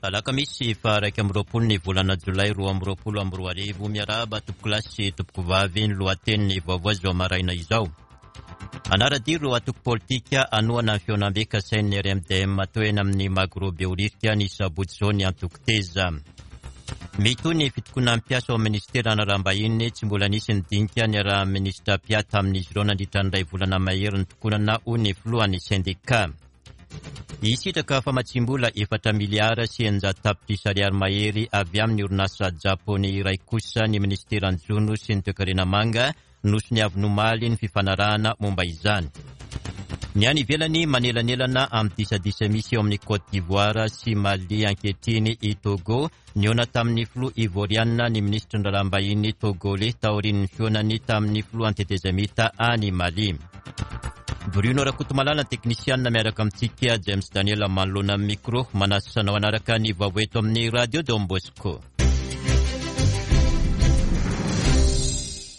Alakamisy faha 21 ny volana jolay 2022. Miarahaba tompokolahy sy tompokovavy, ny lohatenin'ny vaovao izao maraina izao. Hanara-dia ireo antoko politika hanohana ny fihaonambe kasain'ny RMDM atao eny amin'ny Magro Behoririka ny sabotsy izao ny antoko Teza. Mitohy ny fitokonan'ny mpiasa ao amin'ny minisitera Analam-bahiny, tsy mbola nisy ny dinika niarahan'ny minisitra Pia tamin'izy ireo nandritra ny iray volana mahery nitokonana hoy ny filohan'ny sendika. Hisitraka famatsiam-bola efatra miliara sy 600 tapitrisa ariary mahery avy amin'ny orinasa Japoney iray kosa ny minisiteran'ny Jono sy ny Toekarena Manga, nosoniaviny omaly ny fifanarahana momba izany. Ny any ivelany manelanelana amin'ny disadisa misy eo amin'ny Côte d'Ivoire sy Mali ankehitriny i Togo. Nihaona tamin'ny filoha Ivorianina ny minisitry ny raharaham-bahiny Togoley taorian'ny fihaonany tamin'ny filohan'ny tetezamita any Mali. Bruno Rakotomalala ny teknisianina miaraka amintsika James Daniel manoloana ny micro. Manasa anao hanaraka ny vaovao eto amin'ny Radio Don Bosco.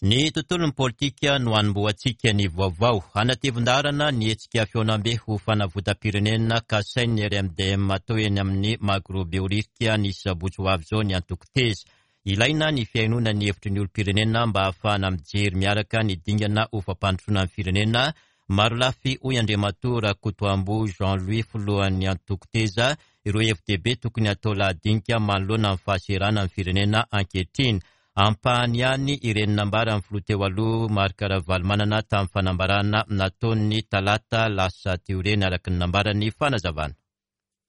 Ny tontolon'ny politika no hanombohantsika ny vaovao. Hanatevin-daharana ny hetsika fihaonambe ho fanavotam-pirenena kasain'ny RMDM atao eny amin'ny Magro Behoririka ny sabotsy ho avy izao ny antoko Teza. Ilaina ny fihainoana ny hevitry ny olom-pirenena mba hahafahana mijery miaraka ny dingana ho fampandrosoana ny firenena Marolafy hoy Andriamatoa Rakotoamboa Jean Louis filohan'ny antoko Teza ireo hevi-dehibe tokony hatao lahadinika manoloana ny fahaseranan'ny firenena ankehitriny. Ampahany ihany ireny nambaran'ny filoha teo aloha Marc Ravalomanana tamin'ny fanambarana nataony ny talata lasa teo ireny araka ny nambaran'ny fanazavana.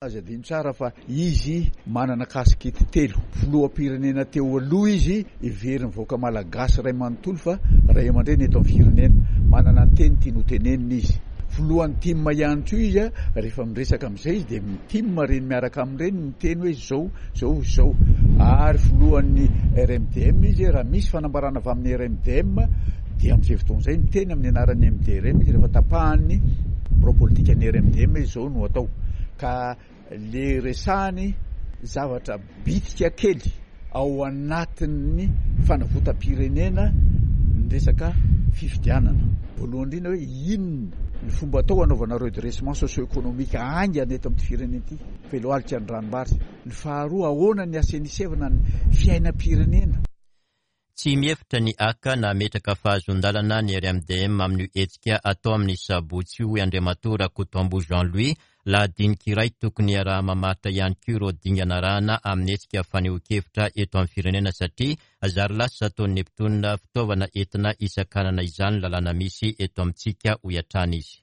Aza adino tsara fa izy manana kasikety telo. Filoham-pirenena teo aloha izy, heverin'ny vahoaka malagasy iray manontolo fa ray aman-dreny eto amin'ny firenena. Manana ny teny tiany ho tenenina izy. Filohan'ny tim ihany koa izy, rehefa miresaka amin'izay izy dia ny tim ireny miaraka aminy ireny miteny hoe izao, izao, izao. Ary filohan'ny RMDM izy, raha misy fanambarana avy amin'ny RMDM dia amin'izay fotoana izay miteny amin'ny anaran'ny MDRM izy rehefa tapahan'ny birao politikan'ny RMDM hoe izao no atao. Ka le resahany zavatra bitika kely ao anatin'ny fanavotam-pirenena ny resaka fifidianana. Voalohany indrindra hoe inona ny fomba atao hanaovana redressement socio-économique haingana eto amin'ity firenena ity, felohalika ny ranombary. Ny faharoa ahoana ny hasenisevana ny fiainam-pirenena. Tsy mihevitra ny haka na hametraka fahazoan-dalana ny RMDM amin'io hetsika atao amin'ny sabotsy io, hoy Andriamatoa Rakotoamboa Jean Louis. Lahadinika iray tokony hiaraha-mamaritra ihany koa ireo dingana arahana amin'ny hetsika fanehoan-kevitra eto amin'ny firenena satria zary lasa ataon'ny mpitondra fitaovana entina hisakanana izany ny lalàna misy eto amintsika, hoy hatrany izy.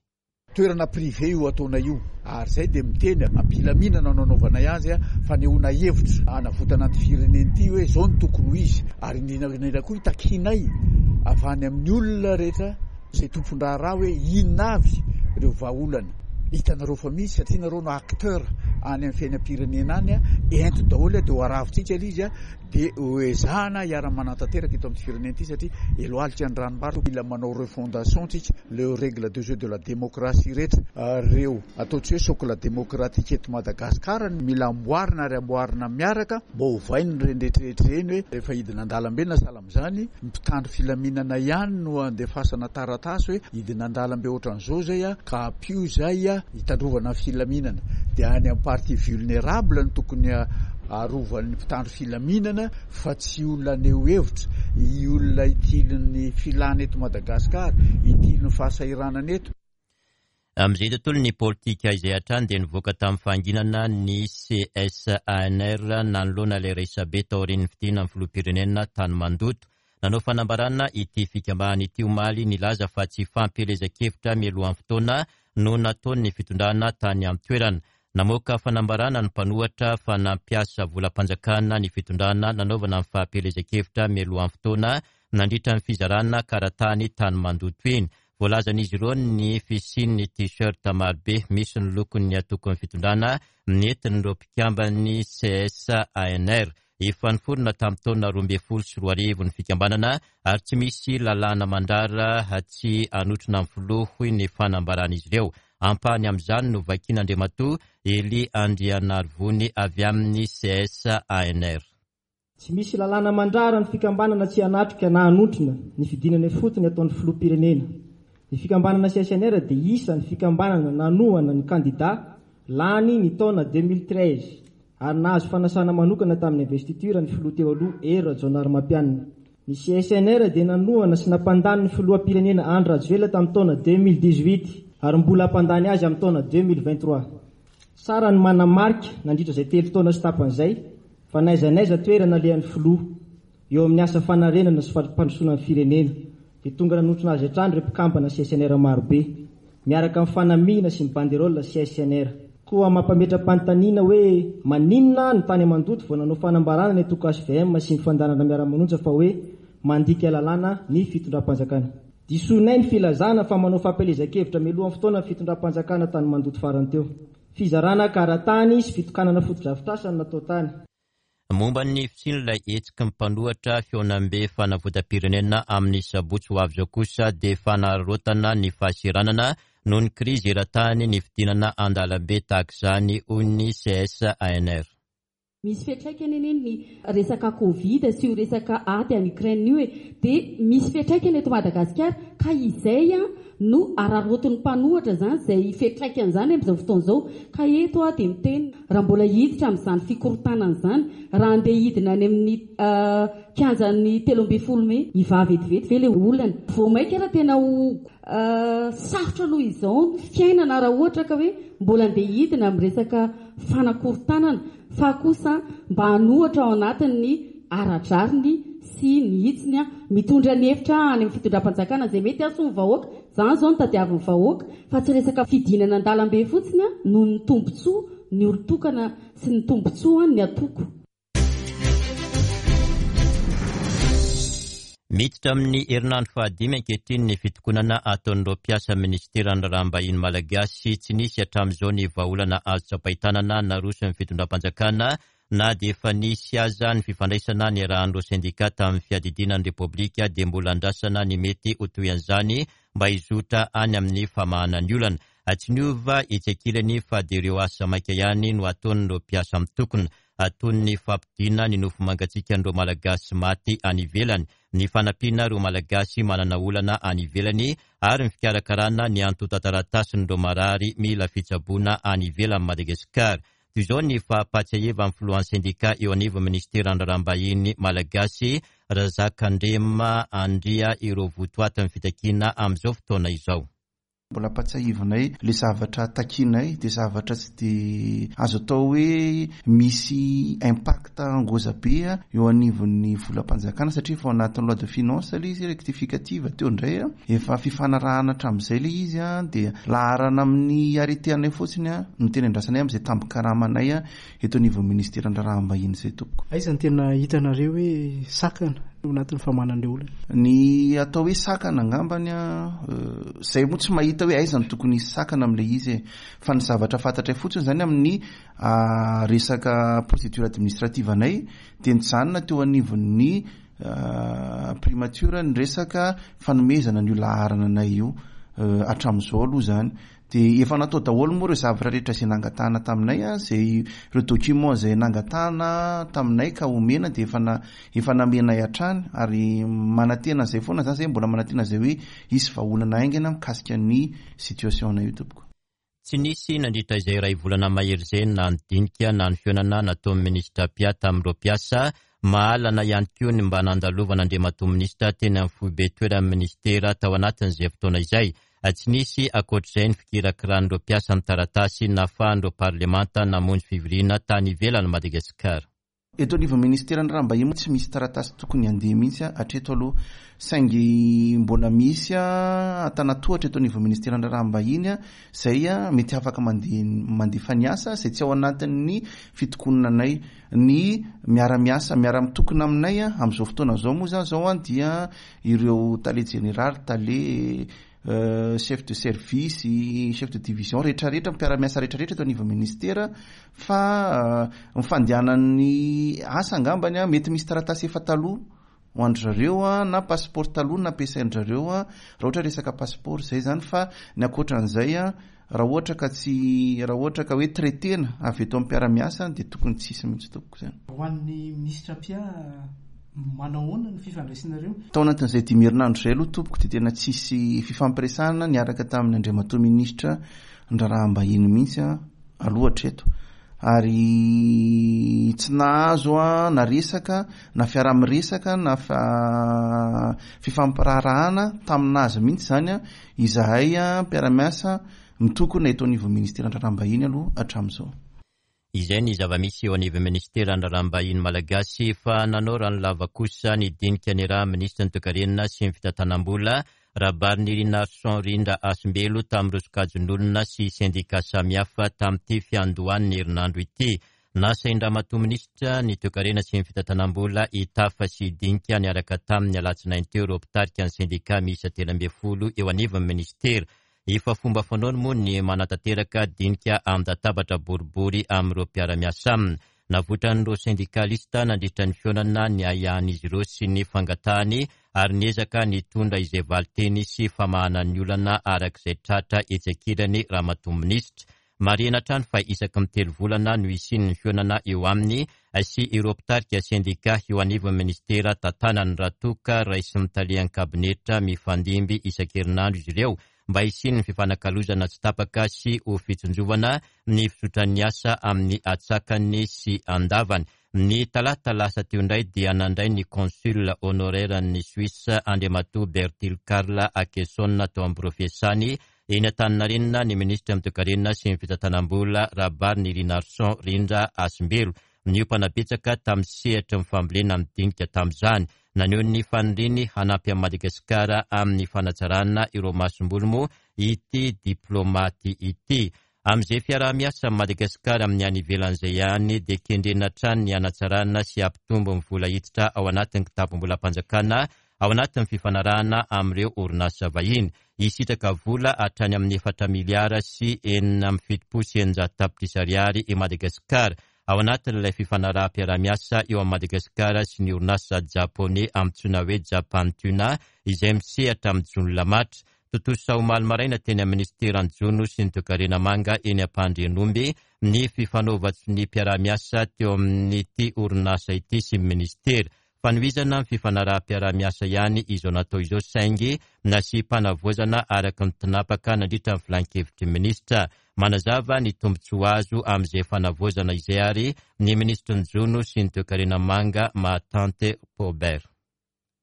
Toerana privé io ataonay io ary izay dia miteny am-pilaminana no anaovanay azy, fanehoana hevitra hanavotana an'ity firenena ity hoe izao no tokony ho izy ary indrindra indrindra koa itakianay avy any amin'ny olona rehetra izay tompon-draharaha hoe inona avy ireo vahaolana hitanareo fa misy satria nareo no acteur any amin'ny fiainam-pirenena any, ento daholo dia ho aravintsika ilay izy. Dia ho ezahana hiara-manatanteraka eto amin'ity firenena ity satria eloalika ny ranombary, mila manao refondation tsika, le règle de jeu de la démocratie rehetra ireo atao tsy hoe socle démocratique eto Madagascar no mila amboarina ary amboarina miaraka mba ovaina ireny rehetra rehetra ireny hoe rehefa hidina an-dalambe na sahala amin'izany ny mpitandro filaminana ihany no andefasana taratasy hoe hidina an-dalambe ohatran'izao izay ka ampio izay hitandrovana ny filaminana dia any amin'ny partie vulnérable no tokony arovan'ny mpitandro filaminana fa tsy olona haneho hevitra, i olona itilin'ny filana eto Madagasikara, itilin'ny fahasahiranana eto. Amin'izay tontolon'ny politika izay hatrany dia nivoaka tamin'ny fahanginana ny CSANR nanoloana ilay resabe taorian'ny fidinan'ny filoham-pirenena tany Mandoto. Nanao fanambarana ity fikambanana ity omaly nilaza fa tsy fampielezan-kevitra mialohan'ny fotoana no nataon'ny fitondrana tany an-toerana. Namoaka fanambarana ny mpanohatra fa nampiasa volam-panjakana ny fitondrana nanaovana ny fampielezan-kevitra mialohan'ny fotoana nandritra ny fizarana karatany tany Mandoto iny. Voalazan'izy ireo ny fisian'ny t-shirt marobe misy ny lokon'ny antokon'ny fitondrana nentin'ireo mpikamban'ny CSANR. Efa niforona tamin'ny taona 2012 ny fikambanana ary tsy misy lalàna mandrara tsy hanotrona ny filoha, hoy ny fanambaran'izy ireo. Ampahany amin'izany no vakian'Andriamatoa Elie Andrianarivony avy amin'ny CSANR. Tsy misy lalàna mandrara ny fikambanana tsy hanatrika na hanotrona ny fidinana ifotony ataon'ny filoham-pirenena. Ny fikambanana CSNR dia isan'ny fikambanana nanohana ny kandida lany ny taona 2013. ary nahazo fanasana manokana tamin'ny investiture ny filoha teo aloha Hery Rajaonarimampianina. Ny CSNR dia nanohana sy nampandany ny filoham-pirenena Andry Rajoelina tamin'ny taona 2018 ary mbola hampandany azy amin'ny taona 2023. Tsara ny manamarika nandritra izay telo taona sy tapany izay fa n'aiza n'aiza toerana alehan'ny filoha eo amin'ny asa fanarenana sy fampandrosoana ny firenena dia tonga nanotrona azy hatrany ireo mpikambana CSNR marobe miaraka amin'ny fanamiana sy ny banderole CSNR. Koa mampametra-panontaniana hoe maninona no tany Mandoto vao nanao fanambarana ny antoko hvm sy ny fandaharana miara-manonja fa hoe mandika lalàna ny fitondram-panjakana. Disoinay ny filazana fa manao fampielezan-kevitra mialohan'ny fotoana ny fitondram-panjakana tany Mandoto farany teo. Fizarana kara-tany sy fitokanana fotodrafitrasa no natao tany. Momba ny fisian'ilay hetsiky ny mpanohatra fihaonambe fanavotam-pirenena amin'ny sabotsy ho avy izao kosa dia fanararaotana ny fahaseranana noho ny krizy eran-tany ny fidinana an-dalambe tahaka izany, hoy ny CSANR. Misy fiantraikany anie ny resaka covid sy io resaka ady any Ukraine io e! Dia misy fiantraikany eto Madagasikara ka izay no araraotin'ny mpanohatra izany izay fiantraikany izany amin'izao fotoana izao. Ka eto aho dia miteny raha mbola hiditra amin'izany fikorontanana izany, raha handeha hidina any amin'ny kianjan'ny 13 mey, hivaha vetivety ve ilay olana? Vao mainka ary tena ho sarotra noho izao ny fiainana raha ohatra ka hoe mbola handeha hidina amin'ny resaka fanakorontanana fa kosa mba hanohatra ao anatin'ny ara-drariny sy ny hitsiny, mitondra ny hevitra any amin'ny fitondram-panjakana izay mety hahasoa ny vahoaka, izany izao no tadiavin'ny vahoaka fa tsy resaka fidinana an-dalambe fotsiny noho ny tombontsoa ny olon-tokana sy ny tombontsoa ny antoko. Miditra amin'ny herinandro fahadimy ankehitriny ny fitokonana ataon'ireo mpiasa minisiteran'ny Raharaham-bahiny Malagasy. Tsy nisy hatramin'izao ny vahaolana azo tsapain-tanana naroson'ny fitondram-panjakana na dia efa nisy aza ny fifandraisana niarahan'ireo sendika tamin'ny fiadidiana ny Repoblika dia mbola andrasana ny mety ho tohin'izany mba hizotra any amin'ny famahana ny olana. Tsy niova etsy ankilany fa dia ireo asa maika ihany no ataon'ireo mpiasa mitokona. toy ny fampodiana ny nofo mangatsiakan'ireo Malagasy maty any ivelany, ny fanampiana ireo Malagasy manana olana any ivelany ary ny fikarakarana ny antontan-taratasin'ireo marary mila fitsaboana any ivelan'i Madagasikara. Toy izao ny fampahatsiahivan'ny filohan'ny sendika eo anivon'ny minisiteran'ny Raharaham-bahiny Malagasy, Razakandrema Andria ireo votoatin'ny fitakiana amin'izao fotoana izao. Mbola ampatsiahivinay le zavatra takianay de zavatra tsy de azo atao hoe misy impact ngoza be eo anivon'ny volam-panjakana satria efa ao anatin'ny loi de finance le izy rectificative teo indray efa fifanarahana hatramin'izay le izy de laharana amin'ny arrêté anay fotsiny no tena andrasanay amin'izay tambin-karamanay eto anivon'ny ministeran'ny raharaham-bahiny izay tompoko. Aiza no tena hitanareo hoe sakana ao anatin'ny famahana an'ilay olana? Ny atao hoe sakana angambany an, izay moa tsy mahita hoe aiza no tokony hisy sakana amin'ilay izy e. Fa ny zavatra fantatray fotsiny izany amin'ny resaka procédure administrative anay dia nijanona teo anivon'ny primature ny resaka fanomezana an'io laharana anay io hatramin'izao aloha izany. Dia efa natao daholo moa ireo zavatra rehetra izay nangatahana taminay, izay ireo documents izay nangatahana taminay ka omena dia efa na efa namenay hatrany ary manantena an'izay foana izany izay mbola manantena izay hoe hisy vahaolana haingana mikasika ny situation-nay io tompoko. Tsy nisy nandritra izay iray volana mahery izay na ny dinika na ny fihaonana nataon'ny minisitra Pia tamin'ireo mpiasa Mahalana ihany koa ny mba nandalovan'Andriamatoa Minisitra teny amin'ny foibe toeran'ny Minisitera tao anatin'izay fotoana izay. Tsy nisy ankoatr'izay ny fikirakiran'ireo mpiasa ny taratasy nahafahan'ireo parlemanta namonjy fivoriana tany ivelan'i Madagasikara. Eto anivon'ny Minisiteran'ny Raharaham-bahiny moa tsy misy taratasy tokony handeha mihitsy hatreto aloha saingy mbola misy antanatohatra eto anivon'ny Minisiteran'ny Raharaham-bahiny izay mety afaka mandeha mandefa ny asa izay tsy ao anatin'ny fitokonanay ny miara-miasa miara-mitokona aminay amin'izao fotoana izao moa izany izao dia ireo tale jeneraly, tale chef de service, chef de division rehetrarehetra mpiara-miasa rehetrarehetra eto anivon'ny ministera fa ny fandehanan'ny asa angambany mety misy taratasy efa taloha ho an-dry zareo na passeport taloha no nampiasain-dry zareo raha ohatra resaka passeport izay izany fa ny ankoatran'izay raha ohatra ka tsy raha ohatra ka hoe traiter-na avy eto amin'ny mpiara-miasa dia tokony tsy hisy mihitsy tompoko izany. Ho an'ny minisitra Pia, manao ahoana ny fifandraisanareo? Tao anatin'izay dimy herinandro izay aloha tompoko dia tena tsisy fifampiresahana niaraka tamin'ny andriamatoa minisitra ny raharaham-bahiny mihitsy aloha hatreto. Ary tsy nahazo na resaka na fiaraha-miresaka na fifampiraharahana tamin'azy mihitsy izany izahay mpiara-miasa mitokona eto anivon'ny ministeran'ny Raharaham-bahiny aloha hatramin'izao. Izay ny zava-misy eo anivon'ny minisiteran'ny Raharaham-bahiny malagasy fa nanao ranolava kosa ny dinika niarahan'ny minisitry ny Toekarena sy ny Fitantanam-bola, Rabarinirinarison Rindra Hasimbelo tamin'ireo sokajin'olona sy sendika samihafa tamin'ity fiandohan'ny herinandro ity. Nasain-dRamatoa minisitra ny Toekarena sy ny Fitantanam-bola hitafa sy hidinika niaraka taminy ny alatsinainy teo ireo mpitarika ny sendika miisa 13 eo anivon'ny minisitera. Efa fomba fanaony moa ny manatanteraka dinika an-databatra boribory amin'ireo mpiara-miasa aminy. Navoitran'ireo sendikalista nandritra ny fihaonana ny ahiahin'izy ireo sy ny fangatahany ary niezaka nitondra izay valinteny sy famahana ny olana araka izay tratra etsy ankilany Ramatoa Minisitra. Marihina hatrany fa isaky ny telo volana no hisian'ny fihaonana eo aminy sy ireo mpitarika sendika eo anivon'ny minisitera tantanany raha toa ka raisin'ny talehan'ny kabinetra mifandimby isan-kerinandro izy ireo mba hisian'ny fifanakalozana tsy tapaka sy ho fitsinjovana ny fizotran'ny asa amin'ny atsakany sy andavany. Ny talata lasa teo indray dia nandray ny Consul honoraire-n'ny Suisse Andriamatoa Bertil Karl Akeson tao amin'ny birao fiasany Eny Antaninarenina ny minisitry ny Toekarena sy ny Fitantanam-bola Rabarinirinarison Rindra Hasimbelo. Niompana betsaka tamin'ny sehatry ny fambolena ny dinika tamin'izany. Naneho ny faniriany hanampy an'i Madagasikara amin'ny fanatsarana ireo masomboly moa ity diplaomaty ity. Amin'izay fiaraha-miasa amin'i Madagasikara amin'ny any ivelany izay ihany dia kendrena hatrany ny hanatsarana sy hampitombo ny vola hiditra ao anatin'ny kitapom-bolam-panjakana ao anatin'ny fifanarahana amin'ireo orinasa vahiny. Hisitraka vola hatrany amin'ny efatra miliara sy 676 tapitrisa ariary i Madagasikara ao anatin'ilay fifanaraham-piaraha-miasa eo amin'i Madagasikara sy ny orinasa Japoney antsoina hoe Japan Tuna izay misehatra amin'ny jono lamatra. Tontosa omaly maraina teny amin'ny minisiteran'ny Jono sy ny Toekarena Manga eny Ampandrianomby ny fifanaovan-tsoniam-piaraha-miasa teo amin'ity orinasa ity sy ny minisitera. Fanohizana ny fifanaraham-piaraha-miasa ihany izao natao izao saingy nasiam-panavaozana araka ny tinapaka nandritra ny filankevitry ny minisitra. Manazava ny tombontsoa azo amin'izay fanavaozana izay ary ny minisitry ny Jono sy ny Toekarena Manga Mahatante Paubert.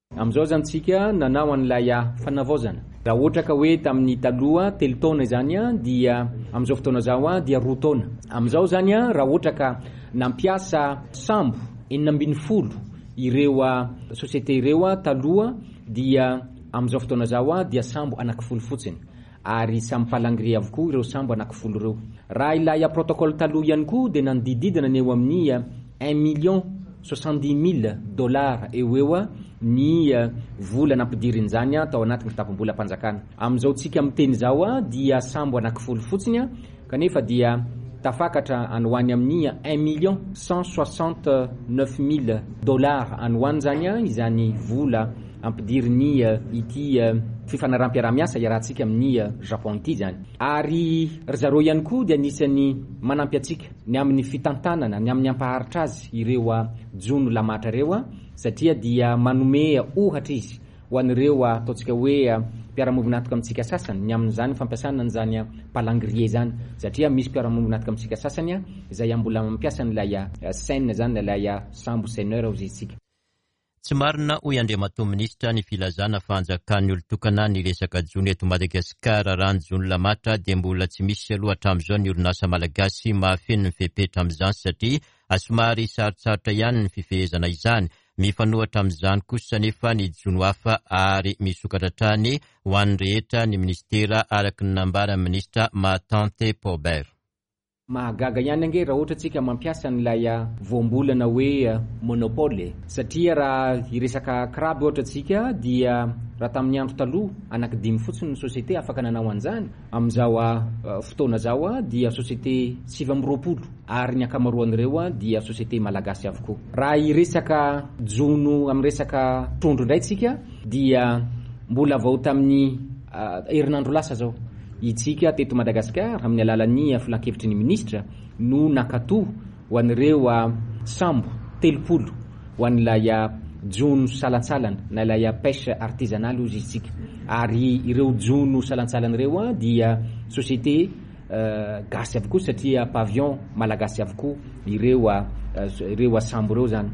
Amin'izao izany tsika nanao an'ilay fanavaozana. Raha ohatra ka hoe tamin'ny taloha telo taona izany dia amin'izao fotoana izao dia roa taona. Amin'izao izany raha ohatra ka nampiasa sambo 16 ireo société ireo taloha dia amin'izao fotoana izao dia sambo anankifolo fotsiny. Ary samy palangre avokoa ireo sambo anankifolo ireo. Raha ilay protocole taloha ihany koa dia nanodididina ny eo amin'ny un million soixante-dix mille dollars eo ho eo ny vola nampidirin'izany tao anatin'ny kitapom-bolam-panjakana. Amin'izao tsika miteny izao dia sambo anankifolo fotsiny kanefa dia tafakatra any ho any amin'ny un million cent soixante neuf mille dollars any ho any izany izany vola ampidirin'ny ity fifanaraham-piaraha-miasa iarahantsika amin'ny Japon ity izany. Ary ry zareo ihany koa dia anisan'ny manampy antsika ny amin'ny fitantanana, ny amin'ny hampaharitra azy ireo jono lamatra ireo satria dia manome ohatra izy ho an'ireo ataontsika hoe mpiara-miombon'antoka amintsika sasany ny amin'izany fampiasana an'izany palangrier izany satria misy mpiara-miombon'antoka amintsika sasany izay mbola mampiasa an'ilay seine izany, ilay sambo seineur hozy isika. Tsy marina hoy Andriamatoa Minisitra ny filazana fa anjakan'ny olon-tokana ny resaka jono eto Madagasikara. Raha ny jono lamatra dia mbola tsy misy aloha hatramin'izao ny orinasa malagasy mahafeno ny fepetra amin'izany satria somary sarotsarotra ihany ny fifehezana izany. Mifanohitra amin'izany kosa anefa ny jono hafa ary misokatra hatrany ho an'ny rehetra ny minisitera araka ny nambaran'ny minisitra Mahatante Paubert. Mahagaga ihany ange raha ohatra tsika mampiasa an'ilay voambolana hoe monopole e! Satria raha hiresaka crabe ohatra tsika dia raha tamin'ny andro taloha anaky dimy fotsiny ny société afaka nanao an'izany, amin'izao fotoana izao dia société 29 ary ny ankamaroan'ireo dia société malagasy avokoa. Raha hiresaka jono amin'ny resaka trondro indray tsika dia mbola vao tamin'ny herinandro lasa izao Itsika teto Madagasikara amin'ny alalan'ny filankevitry ny minisitra no nankatoa ho an'ireo sambo 30 ho an'ilay jono salantsalany na ilay pêche artisanale hozy isika ary ireo jono salantsalany ireo dia société. gasy avokoa satria pavillon malagasy avokoa ireo ireo sambo ireo izany.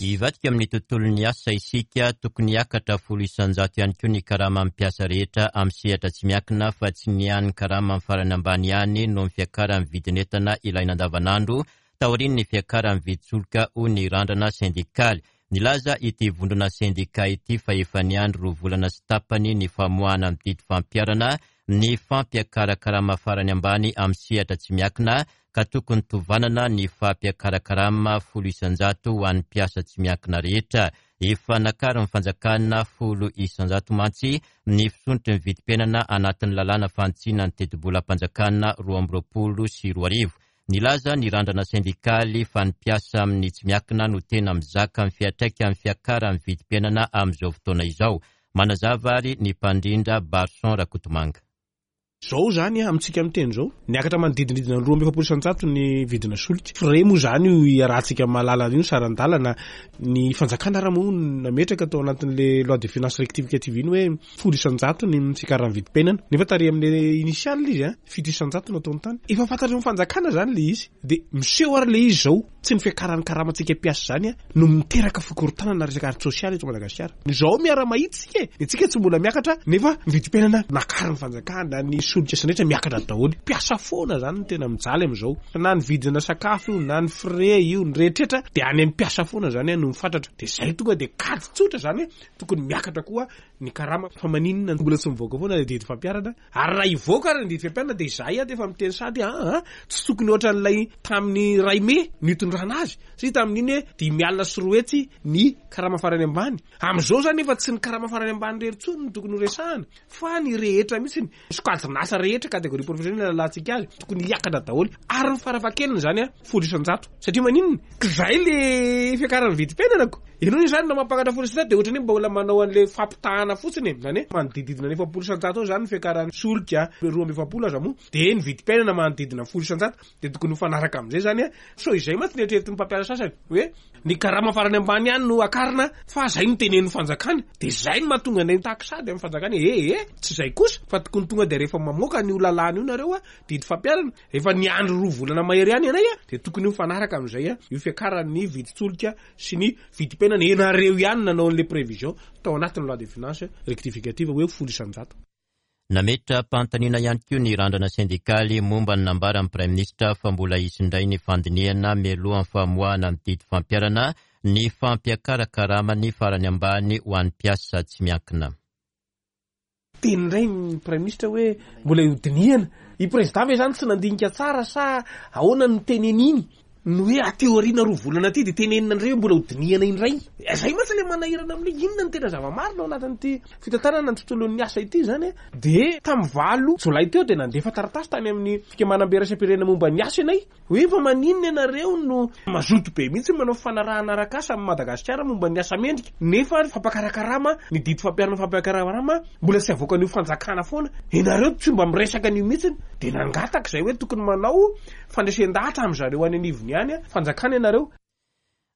Hivadika amin'ny tontolon'ny asa isika, tokony hiakatra 10% ihany koa ny karaman'ny mpiasa rehetra amin'ny sehatra tsy miankina fa tsy ny an'ny karaman'ny farany ambany ihany noho ny fiakaran'ny vidin'entana ilaina andavanandro taorian'ny fiakaran'ny vidin-tsolika hoy ny randrana sendikaly. Nilaza ity vondrona sendika ity fa efa niandry roa volana sy tapany ny famoahana ny didy fampiharana ny fampiakaran-karama farany ambany amin'ny sehatra tsy miankina ka tokony tovanana ny fampiakaran-karama 10% ho an'ny mpiasa tsy miankina rehetra. Efa nakarin'ny fanjakana 10% mantsy ny fisondrotry ny vidim-piainana anatin'ny lalàna fanitsiana ny tetibolam-panjakana 2022. Nilaza ny randrana sendikaly fa ny mpiasa amin'ny tsy miankina no tena mizaka ny fiantraikan'ny fiakaran'ny vidim-piainana amin'izao fotoana izao. Manazava ary ny mpandrindra Barson Rakotomanga. Izao izany amintsika miteny izao, niakatra manodidinidina ny 42% ny vidina solika. Frais moa izany io iarahantsika mahalala io ny saran-dalana. Ny fanjakana ary moa nametraka tao anatin'ilay loi de finances rectificative iny hoe 10% ny fiakaran'ny vidim-piainana. Nefa tary amin'ilay initial izy an, 7% no ataony tany. Efa fantatry ny fanjakana izany ilay izy. Dia miseho ary ilay izy izao, tsy ny fiakaran'ny karamantsika mpiasa izany no miteraka fikorontanana resaka ara-tsosialy eto Madagasikara. Izao miara-mahita isika e, ny antsika tsy mbola miakatra nefa ny vidim-piainana nakarin'ny fanjakana, ny solika sy ny rehetra miakatra daholo. Mpiasa foana izany no tena mijaly amin'izao. Na ny vidina sakafo io, na ny frais io, ny rehetrretra dia any amin'ny mpiasa foana izany no mifatratra. Dia izay tonga dia kajy tsotra izany hoe tokony miakatra koa ny karama. Fa maninona mbola tsy mivoaka foana ilay didy fampiharana? Ary raha hivoaka ary ny didy fampiharana dia izahay ato efa miteny sahady aa tsy tokony ohatran'ilay tamin'ny iray mey nitondrana azy satria tamin'iny hoe 205 ny karama farany ambany. Amin'izao izany efa tsy ny karama farany ambany irery intsony no tokony ho resahana fa ny rehetra mihitsy, sokajin'asa rehetra, catégorie professionnelle alantsika azy, tokony hiakatra daholo ary ny farafahakeliny izany 10% satria maninona? K'izay le fiakaran'ny vidim-piainana ko! Ianao anie zany raha mampakatra 10% dia ohatran'ny hoe mbola manao an'ilay fampitahana fotsiny e! Izany hoe manodididina ny 40% eo izany ny fiakaran'ny solika, 42 aza moa, dia ny vidim-piainana manodidina ny 10% dia tokony mifanaraka amin'izay izany an! Sao izay mantsy ny eritreretin'ny mpampiasa sasany hoe ny karama farany ambany ihany no akarina fa izay no tenenin'ny fanjakana, dia izay no mahatonga anay mitaky sady amin'ny fanjakana hoe ee tsy izay kosa fa tokony tonga dia rehefa mamoaka an'io lalàna io nareo an, didy fampiharana, Efa niandry roa volana mahery ihany ianay dia tokony mifanaraka amin'izay io fiakaran'ny vidin-tsolika sy ny vidim-piainana. Ianareo ihany nanao an'ilay prévision tao anatin'ny loi de finances rectificative hoe 10%. Nametra-panontaniana ihany koa ny randrana sendikaly momba ny nambaran'ny Praiminisitra fa mbola hisy indray ny fandinihana mialohan'ny famoahana ny didy fampiharana ny fampiakaran-karama ny farany ambany ho an'ny mpiasa tsy miankina. Teny indray ny Praiminisitra hoe mbola hodinihana. I Prezida ve izany tsy nandinika tsara sa ahoana no teneniny? Ny hoe aty aoriana roa volana aty dia tenenina indray hoe mbola hodinihana indray. Izay mantsy ilay manahirana amin'ilay inona no tena zava-marina ao anatin'ity fitantanana ny tontolon'ny asa ity izany. Dia tamin'ny 8 jolay teo dia nandefa taratasy tany amin'ny fikambanambe iraisam-pirenena momba ny asa ianay. Hoe fa maninona ianareo no mazoto be mihitsy manao fifanarahana arak'asa amin'i Madagasikara momba ny asa mendrika nefa ny fampakarakarama, ny didy fampiharana fampakarakarama mbola tsy avoakan'io fanjakana foana. Ianareo tsy mba miresaka an'io mihitsy. Dia nangataka izay hoe tokony manao fandresen-dahatra amin-dry zareo any anivony any fanjakana ianareo.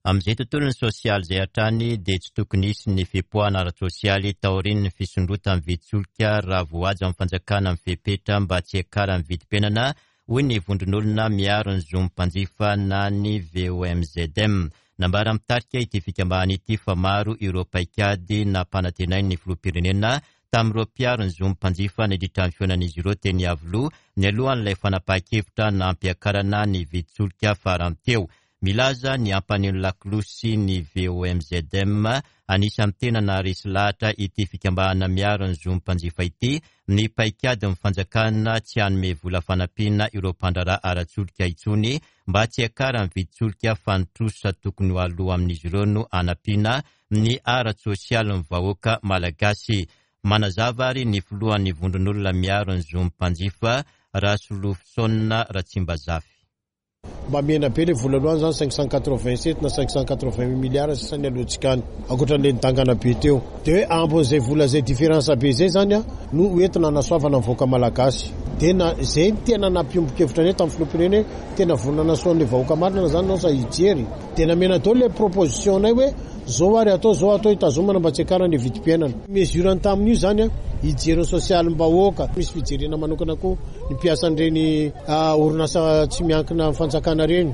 Amin'izay tontolon'ny sosialy izay hatrany dia tsy tokony hisy ny fipoahana ara-tsosialy taorian'ny fisondrotan'ny vidin-tsolika raha voahaja amin'ny fanjakana ny fepetra mba tsy hiakaran'ny vidim-piainana, hoy ny vondron'olona miaro ny zon'ny mpanjifa na ny VOMZM. Nambaran'ny mpitarika ity fikambanana ity fa maro ireo paikady nampanantenain'ny filoham-pirenena tamin'ireo mpiaro ny zon'ny mpanjifa nandritra ny fihaonan'izy ireo teny Iavoloha nialohan'ilay fanapahan-kevitra nampiakarana ny vidin-tsolika farany teo. Milaza ny hampaneno lakolosy ny VOMZM, anisan'ny tena naharesy lahatra ity fikambanana miaro ny zon'ny mpanjifa ity, ny paikadin'ny fanjakana tsy hanome vola fanampiana ireo mpandraharaha ara-tsolika intsony mba tsy hiakaran'ny vidin-tsolika fa ny trosa tokony ho aloa amin'izy ireo no hanampiana ny ara-tsosialin'ny vahoaka malagasy. Manazava ary ny filohan'ny vondron'olona miaro ny zon'ny mpanjifa, Rasolofosaona Ratsimbazafy. Mba mihena be le vola aloha any zany 587 na 588 milliards sisa ny alohantsika any ankoatran'le nidangana be teo. De hoe ambin'izay vola zay différence be zay zany an no ho entina hanasoavana ny vahoaka malagasy. De na zay no tena nampiombon-kevitra anay tamin'ny filoham-pirenena hoe tena vonona hanasoa an'le vahoaka marina zany ianao sa hijery. De namena daholo le proposition nay hoe zao ary atao zao atao hitazomana mba tsy hiakarana le vidim-piainana. Mesure ny tamin'io zany an. hijery ny sosialim-bahoaka. Misy fijerena manokana koa ny mpiasan'ireny orinasa tsy miankina amin'ny fanjakana ireny.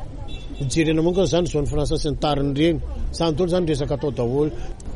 Hojerena manokana izany zone franche sy ny tariny ireny. Izany daholo izany resaka atao daholo.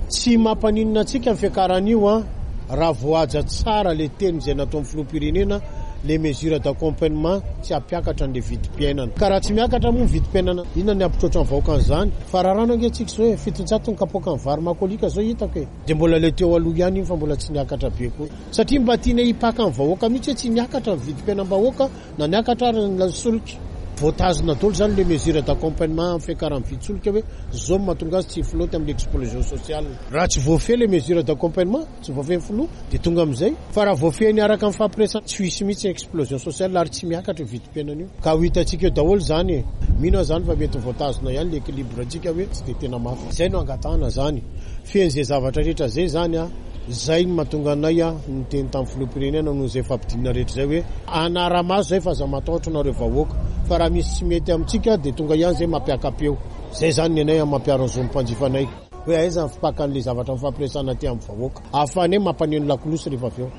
Tsy mampaninona antsika ny fiakaran'io an, raha voahaja tsara le teny izay nataon'ny filoham-pirenena, le mesure d'accompagnement tsy hampiakatra an'le vidim-piainana. Ka raha tsy miakatra moa ny vidim-piainana, inona ny hampitroatra ny vahoaka an'izany? Fa raràna ange tsika izao e, 700 ny kapoakan'ny vary makoliaka izao hitako e. Dia mbola le teo aloha ihany iny fa mbola tsy niakatra be koa. Satria mba tiana hipaka ny vahoaka mihitsy hoe tsy niakatra ny vidim-piainam-bahoaka na niakatra ary ny solika. Voatazona daholo izany le mesure d'accompagnement amin'ny fiakaran'ny vidin-tsolika hoe zao no mahatonga azy tsy hi-flotte amin'ny explosion sociale. Raha tsy voafehy le mesure d'accompagnement, tsy voafehin'ny filoha, dia tonga amin'izay. Fa raha voafehiny araka ny fampiresahana, tsy ho hisy mihitsy ny explosion sociale ary tsy miakatra io vidim-piainana io. Ka ho hitantsika eo daholo izany e. Mino aho izany fa mety ho voatazona ihany le équilibre-ntsika hoe tsy dia tena mafy. Izay no angatahana izany. Feno izay zavatra rehetra izay izany an. Izay no mahatonga anay niteny tamin'ny filoham-pirenena noho izay fampidinana rehetra izay hoe hanara-maso izay fa aza matahotra nareo vahoaka fa raha misy tsy mety amintsika dia tonga ihany izay mampiaka-peo. Izay izany ny anay mampiaro ny zon'ny mpanjifanay hoe aiza ny fipakan'ilay zavatra mifampiresahana aty amin'ny vahoaka ahafahanay mampaneno lakolosy rehefa avy eo.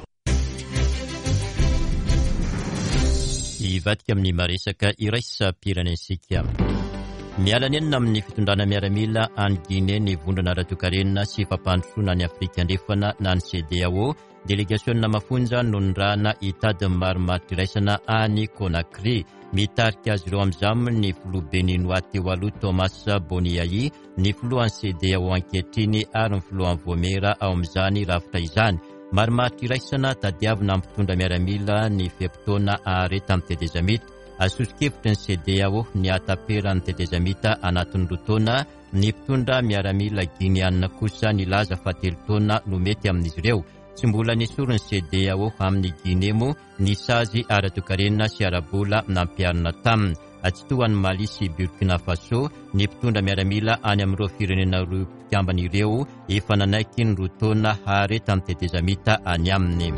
Hivadika amin'ny maresaka iraisam-pirenentsika. Miala nenina amin'ny fitondrana miaramila any Guinée ny vondrona ara-toekarena sy fampandrosoana any Afrika Andrefana na ny CEDEAO. Delegasionina mafonja no nirahana hitady ny marimaritra iraisana any Conakry. Mitarika azy ireo amin'izany ny filoha Beninoà teo aloha Thomas Boni Yayi, ny filohan'ny CEDEAO ankehitriny ary ny filohan'ny Voamera ao amin'izany rafitra izany. Marimaritra iraisana tadiavina amin'ny mpitondra miaramila ny fe-potoana aharetan'ny tetezamita. Soso-kevitry ny CEDEAO ny hahataperan'ny tetezamita anatin'ny roa taona, ny mpitondra miaramila Gineana kosa nilaza fa telo taona no mety amin'izy ireo. Tsy mbola nesorin'ny CEDEAO amin'i Guinée moa ny sazy ara-toekarena sy ara-bola nampiharina taminy. Tsy toa an'i Mali sy Burkina Faso, ny mpitondra miaramila any amin'ireo firenena roa mpikambana ireo efa nanaiky ny roa taona haharetan'ny tetezamita any aminy.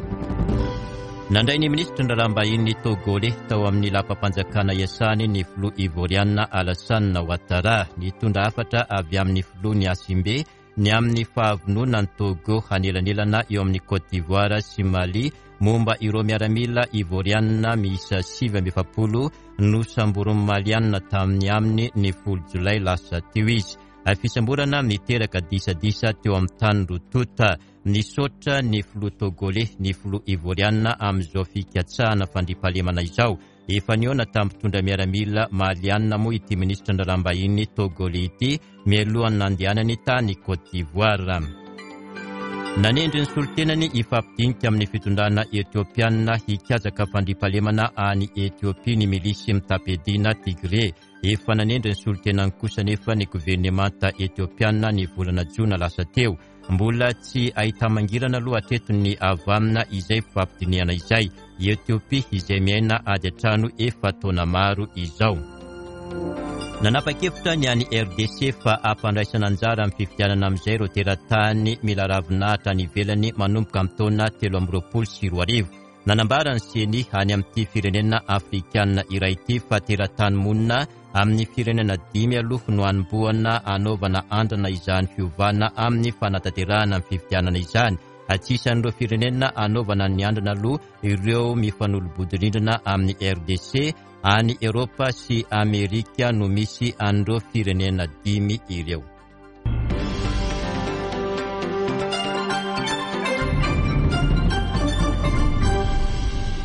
Nandray ny minisitry ny raharaham-bahiny Tôgôley tao amin'ny lapam-panjakana iasany ny filoha Ivôriana Alassane Ouattara. Nitondra hafatra avy amin'ny filoha Gnassingbé ny amin'ny fahavononan'i Togo hanelanelana eo amin'i Côte d'Ivoire sy Mali momba ireo miaramila Ivorianina miisa 49 nosamborin'ny Malianina tamin'ny aminy ny folo jolay lasa teo izy. Fisamborana niteraka disadisa teo amin'ny tany roa tonta. Nisaotra ny filoha Togoley ny filoha Ivorianina amin'izao fikatsahana fandriampahalemana izao. Efa nihaona tamin'ny mpitondra miaramila malianina moa ity minisitry ny raharaham-bahiny Togoley ity mialohan'ny nandehanany tany Côte d'Ivoire. Nanendry ny solontenany hifampidinika amin'ny fitondrana Etiopiana hikatsaka fandriampahalemana any Etiopia ny milisy mitam-piadiana Tigré. Efa nanendry ny solontenany kosa anefa ny governemanta Etiopiana ny volana jona lasa teo. Mbola tsy ahita-mangirana aloha hatreto ny havanana izay fifampidinihana izay. I Etiopia izay miaina ady an-trano efa taona maro izao. Nanapa-kevitra ny any RDC fa hampandraisana anjara amin'ny fifidianana amin'izay ireo teratany mila ravinahitra any ivelany manomboka amin'ny taona 2023. Nanambara ny Ceni any amin'ity firenena afrikanina iray ity fa teratany monina amin'ny firenena dimy aloha no hanombohana hanaovana andrana izany fiovana amin'ny fanatanterahana ny fifidianana izany. Tsy isan'ireo firenena hanaovana ny andrana aloha ireo mifanolo-bodirindrina amin'ny RDC, any Eropa sy Amerika no misy an'ireo firenena dimy ireo.